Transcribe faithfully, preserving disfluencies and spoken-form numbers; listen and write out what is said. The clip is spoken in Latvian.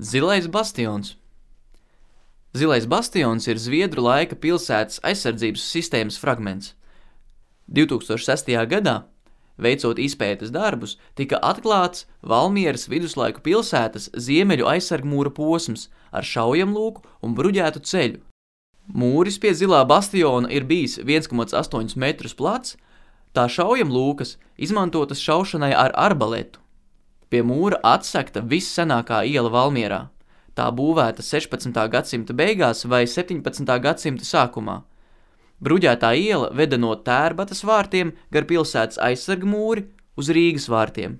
Zilais bastions. Zilais bastions ir Zviedru laika pilsētas aizsardzības sistēmas fragments. divtūkstoš sestajā gadā, veicot izpētes darbus, tika atklāts Valmieras viduslaiku pilsētas ziemeļu aizsargmūra posms ar šaujamlūku un bruģētu ceļu. Mūris pie Zilā bastiona ir bijis viens komats astoņi metrus plats, tā šaujamlūkas izmantotas šaušanai ar arbaletu. Pie mūra atsekta vissenākā iela Valmierā. Tā būvēta sešpadsmitā gadsimta beigās vai septiņpadsmitā gadsimta sākumā. Bruģētā iela veda no Tērbatas vārtiem gar pilsētas aizsargmūri uz Rīgas vārtiem.